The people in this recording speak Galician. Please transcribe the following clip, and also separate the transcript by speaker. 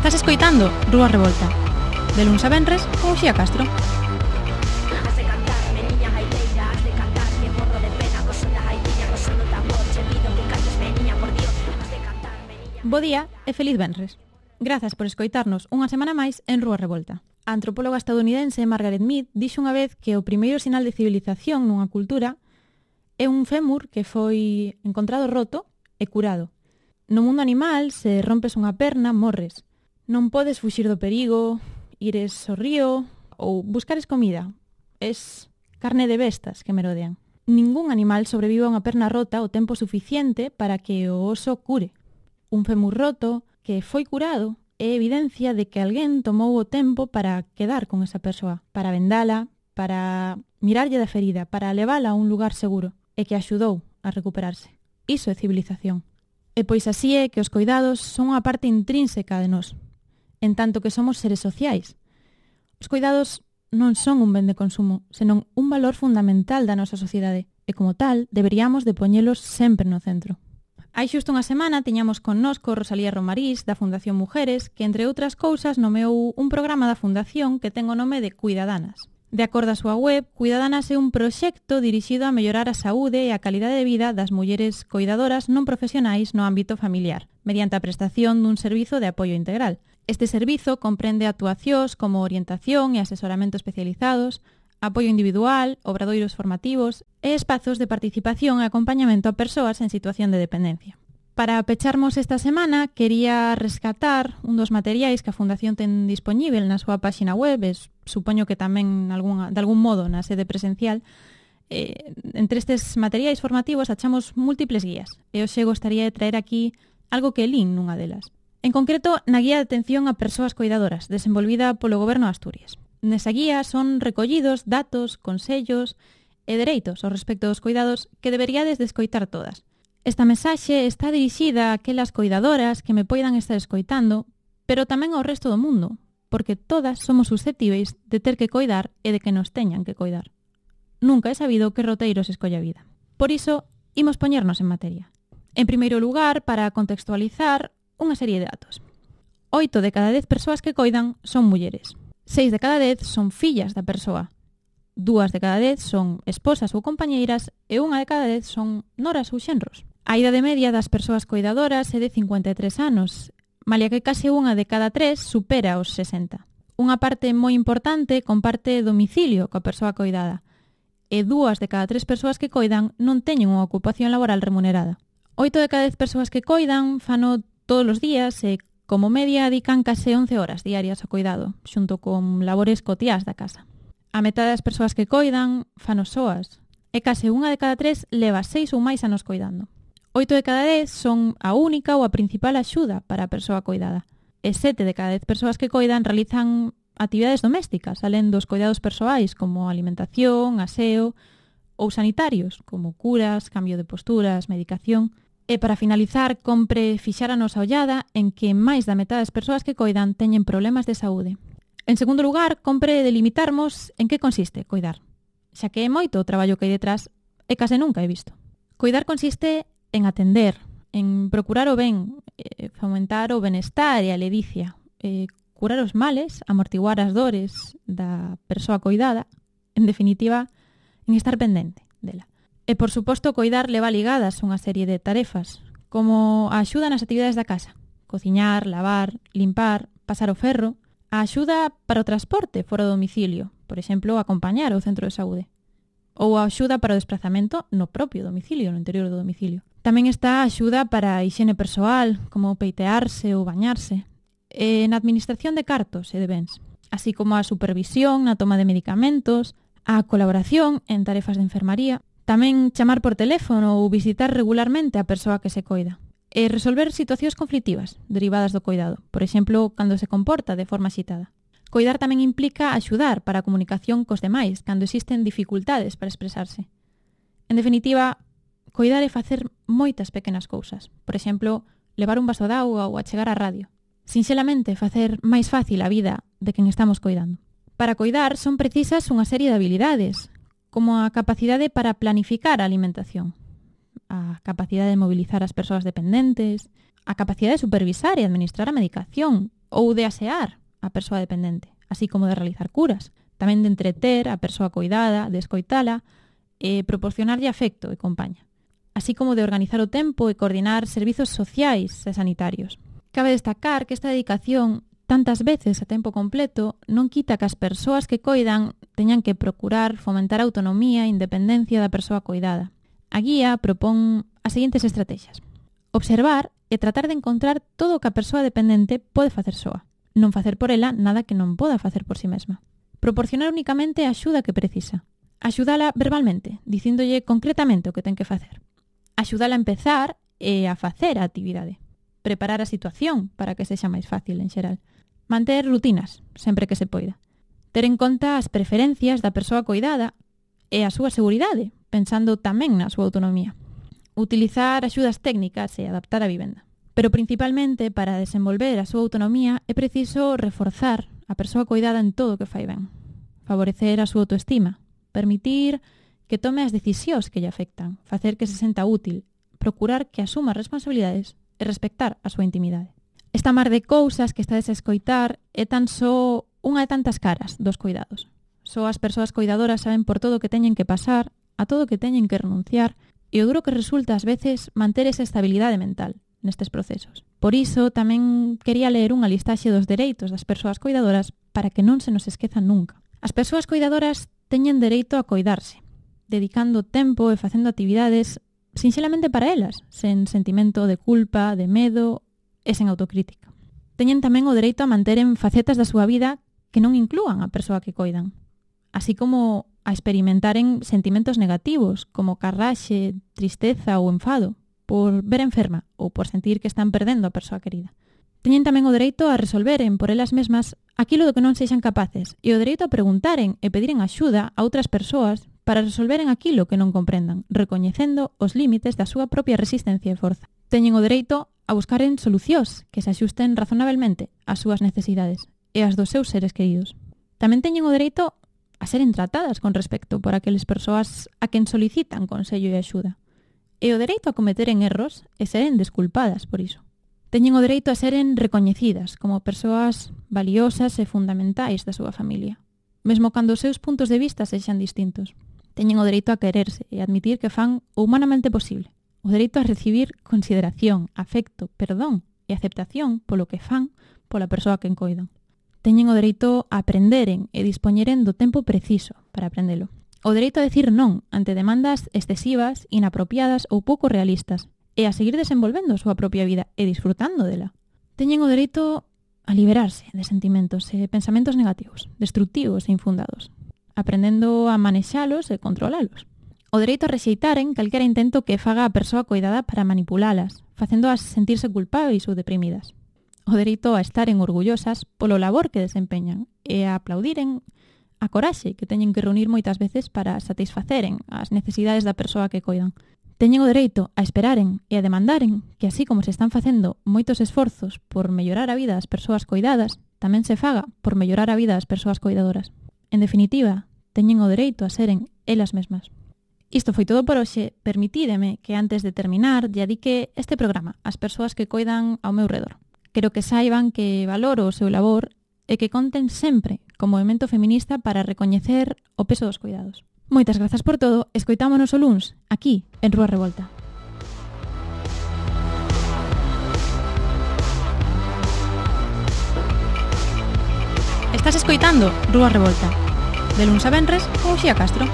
Speaker 1: Estás escoitando Rúa Revolta, de luns a venres con Uxía Castro. Bo día e feliz venres. Grazas por escoitarnos unha semana máis en Rúa Revolta. A antropóloga estadounidense Margaret Mead dixo unha vez que o primeiro sinal de civilización nunha cultura é un fémur que foi encontrado roto e curado. No mundo animal, se rompes unha perna, morres. Non podes fuxir do perigo, ires ao río ou buscares comida. Es carne de bestas que merodean. Ningún animal sobrevive a unha perna rota o tempo suficiente para que o oso cure. Un fémur roto que foi curado é evidencia de que alguén tomou o tempo para quedar con esa persoa, para vendala, para mirarlle da ferida, para levala a un lugar seguro e que axudou a recuperarse. Iso é civilización. E pois así é que os coidados son unha parte intrínseca de nós, en tanto que somos seres sociais. Os coidados non son un ben de consumo, senón un valor fundamental da nosa sociedade e, como tal, deberíamos de poñelos sempre no centro. Hai xusto unha semana tiñamos connosco Rosalía Romarís, da Fundación Mujeres, que, entre outras cousas, nomeou un programa da Fundación que ten o nome de Cuidadanas. De acordo á súa web, Cuidadanas é un proxecto dirixido a mellorar a saúde e a calidade de vida das mulleres coidadoras non profesionais no ámbito familiar, mediante a prestación dun servizo de apoio integral. Este servizo comprende actuacións como orientación e asesoramento especializados, apoio individual, obradoiros formativos e espazos de participación e acompañamento a persoas en situación de dependencia. Para pecharmos esta semana, quería rescatar un dos materiais que a Fundación ten dispoñível na súa páxina web, supoño que tamén de algún modo na sede presencial. Entre estes materiais formativos achamos múltiples guías, e hoxe gostaría de traer aquí algo que lín nunha delas. En concreto, na guía de atención a persoas coidadoras, desenvolvida polo Goberno de Asturias. Nesa guía son recollidos datos, consellos e dereitos ao respecto dos coidados que deberíades de escoitar todas. Esta mensaxe está dirixida a aquelas coidadoras que me poidan estar escoitando, pero tamén ao resto do mundo, porque todas somos susceptíveis de ter que coidar e de que nos teñan que coidar. Nunca he sabido que roteiro se escolla a vida. Por iso, imos poñernos en materia. En primeiro lugar, para contextualizar, unha serie de datos. 8 de cada 10 persoas que coidan son mulleres. 6 de cada 10 son fillas da persoa. 2 de cada 10 son esposas ou compañeiras e 1 de cada 10 son noras ou xenros. A idade media das persoas coidadoras é de 53 anos, malia que case 1 de cada 3 supera os 60. Unha parte moi importante comparte domicilio coa persoa coidada e 2 de cada 3 persoas que coidan non teñen unha ocupación laboral remunerada. 8 de cada 10 persoas que coidan fano todos os días e como media dedican case 11 horas diarias ao coidado, xunto con labores cotiás da casa. A metade das persoas que coidan fano soas, e case 1 de cada 3 leva 6 ou máis anos coidando. 8 de cada 10 son a única ou a principal axuda para a persoa coidada, e 7 de cada 10 persoas que coidan realizan actividades domésticas, alén dos coidados persoais como alimentación, aseo ou sanitarios, como curas, cambio de posturas, medicación. E para finalizar, compre fixar a nosa ollada en que máis da metade das persoas que coidan teñen problemas de saúde. En segundo lugar, compre delimitarmos en que consiste coidar, xa que é moito o traballo que hai detrás e case nunca he visto. Coidar consiste en atender, en procurar o ben, fomentar o benestar e a ledicia, curar os males, amortiguar as dores da persoa coidada, en definitiva, en estar pendente dela. E, por suposto, coidar leva ligadas unha serie de tarefas, como a axuda nas actividades da casa, cociñar, lavar, limpar, pasar o ferro, a axuda para o transporte fora do domicilio, por exemplo, acompañar ao centro de saúde, ou a axuda para o desplazamento no propio domicilio, no interior do domicilio. Tamén está a axuda para a hixiene persoal, como peitearse ou bañarse, e na administración de cartos e de bens, así como a supervisión na toma de medicamentos, a colaboración en tarefas de enfermaría. Tamén chamar por teléfono ou visitar regularmente a persoa que se coida. E resolver situacións conflictivas derivadas do coidado, por exemplo, cando se comporta de forma axitada. Coidar tamén implica axudar para a comunicación cos demais, cando existen dificultades para expresarse. En definitiva, coidar é facer moitas pequenas cousas. Por exemplo, levar un vaso de auga ou achegar a radio. Sinxelamente, facer máis fácil a vida de quen estamos coidando. Para coidar son precisas unha serie de habilidades, como a capacidade para planificar a alimentación, a capacidade de mobilizar as persoas dependentes, a capacidade de supervisar e administrar a medicación ou de asear a persoa dependente, así como de realizar curas, tamén de entreter a persoa coidada, de escoitala e proporcionarlle afecto e compaña, así como de organizar o tempo e coordinar servizos sociais e sanitarios. Cabe destacar que esta dedicación tantas veces a tempo completo non quita que as persoas que coidan teñan que procurar fomentar a autonomía e independencia da persoa coidada. A guía propón as seguintes estrategias. Observar e tratar de encontrar todo o que a persoa dependente pode facer soa. Non facer por ela nada que non poda facer por si mesma. Proporcionar únicamente a axuda que precisa. Axudala verbalmente, dicíndolle concretamente o que ten que facer. Axudala a empezar e a facer a actividade. Preparar a situación para que sexa máis fácil en xeral. Manter rutinas, sempre que se poida. Ter en conta as preferencias da persoa coidada e a súa seguridade, pensando tamén na súa autonomía. Utilizar axudas técnicas e adaptar a vivenda. Pero principalmente, para desenvolver a súa autonomía, é preciso reforzar a persoa coidada en todo o que fai ben. Favorecer a súa autoestima. Permitir que tome as decisións que lle afectan. Facer que se senta útil. Procurar que asuma responsabilidades e respectar a súa intimidade. Esta mar de cousas que estades a escoitar é tan só unha de tantas caras dos cuidados. Só as persoas coidadoras saben por todo o que teñen que pasar, a todo o que teñen que renunciar, e o duro que resulta ás veces manter esa estabilidade mental nestes procesos. Por iso, tamén quería ler unha listaxe dos dereitos das persoas coidadoras para que non se nos esquezan nunca. As persoas coidadoras teñen dereito a coidarse, dedicando tempo e facendo actividades sinxelamente para elas, sen sentimento de culpa, de medo e sen autocrítica. Teñen tamén o dereito a manteren facetas da súa vida que non inclúan a persoa que coidan, así como a experimentaren sentimentos negativos como carraxe, tristeza ou enfado por ver enferma ou por sentir que están perdendo a persoa querida. Teñen tamén o dereito a resolveren por elas mesmas aquilo do que non sexan capaces e o dereito a preguntaren e pediren axuda a outras persoas para resolveren aquilo que non comprendan, recoñecendo os límites da súa propia resistencia e forza. Teñen o dereito a buscaren solucións que se axusten razonablemente ás súas necesidades e ás dos seus seres queridos. Tamén teñen o dereito a seren tratadas con respecto por aqueles persoas a quen solicitan consello e axuda. E o dereito a cometeren erros e seren desculpadas por iso. Teñen o dereito a seren recoñecidas como persoas valiosas e fundamentais da súa familia, mesmo cando os seus puntos de vista sexan distintos. Teñen o dereito a quererse e admitir que fan o humanamente posible. O dereito a recibir consideración, afecto, perdón e aceptación polo que fan pola persoa a quen coidan. Teñen o dereito a aprenderen e dispoñeren do tempo preciso para aprendelo. O dereito a decir non ante demandas excesivas, inapropiadas ou pouco realistas e a seguir desenvolvendo a súa propia vida e disfrutando dela. Teñen o dereito a liberarse de sentimentos e pensamentos negativos, destructivos e infundados, aprendendo a manexalos e controlalos. O dereito a rexeitaren calquera intento que faga a persoa coidada para manipulalas, facéndoas sentirse culpáveis ou deprimidas. O dereito a estaren orgullosas polo labor que desempeñan e a aplaudiren a coraxe que teñen que reunir moitas veces para satisfaceren as necesidades da persoa que coidan. Teñen o dereito a esperaren e a demandaren que así como se están facendo moitos esforzos por mellorar a vida das persoas coidadas, tamén se faga por mellorar a vida das persoas coidadoras. En definitiva, teñen o dereito a seren elas mesmas. Isto foi todo por hoxe. Permitídeme que antes de terminar lle dedique este programa ás persoas que coidan ao meu redor. Quero que saiban que valoro o seu labor e que conten sempre co movemento feminista para recoñecer o peso dos cuidados. Moitas grazas por todo. Escoitámonos o luns, aquí, en Rúa Revolta. Estás escoitando Rúa Revolta, de luns a venres con Uxía Castro.